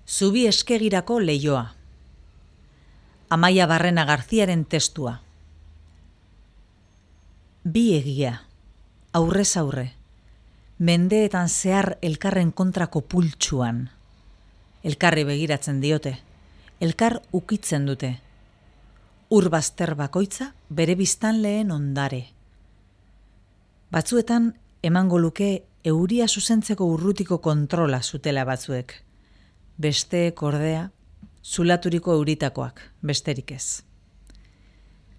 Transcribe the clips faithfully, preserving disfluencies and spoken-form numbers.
Zubi eskegirako leioa. Amaia Barrena Garziaren testua. Bi egia, aurrez aurre, mendeetan zehar elkarren kontrako pultsuan. Elkarri begiratzen diote, elkar ukitzen dute. Urbazter bakoitza bere biztanleen ondare. Batzuetan emango luke euria zuzentzeko urrutiko kontrola zutela batzuek. Besteek ordea, zulaturiko euritakoak, besterik ez.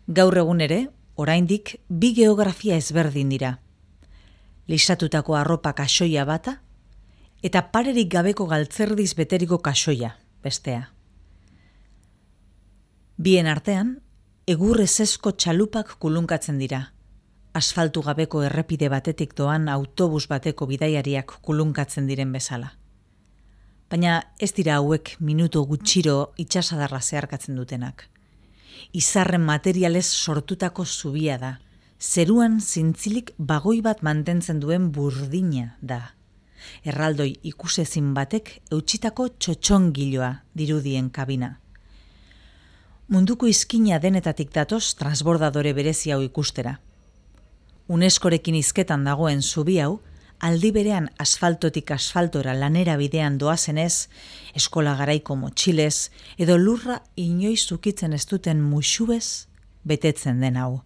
Gaur egun ere, oraindik bi geografia ezberdin dira. Lisatutako arropa kasoia bata, eta parerik gabeko galtzerdiz beteriko kasoia, bestea. Bien artean, egur ezesko txalupak kulunkatzen dira. Asfaltu gabeko errepide batetik doan autobus bateko bidaiariak kulunkatzen diren bezala. Baina ez dira hauek minutu gutxiro itsasadarra zeharkatzen dutenak. Izarren materialez sortutako zubia da. Zeruan zintzilik bagoi bat mantentzen duen burdina da. Erraldoi ikusezin batek eutsitako txotxongiloa dirudien kabina. Munduko izkina denetatik datoz transbordadore berezi hau ikustera. Uneskorekin hizketan dagoen zubi hau, aldi berean asfaltotik asfaltora lanera bidean doazenez, eskola garaiko motxilez, edo lurra inoiz ukitzen ez duten muxuez betetzen den hau.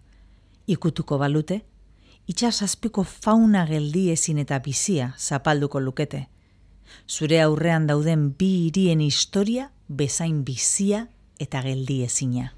Ikutuko balute, itsasazpiko fauna geldiezin eta bizia zapalduko lukete. Zure aurrean dauden bi hirien historia bezain bizia eta geldiezina.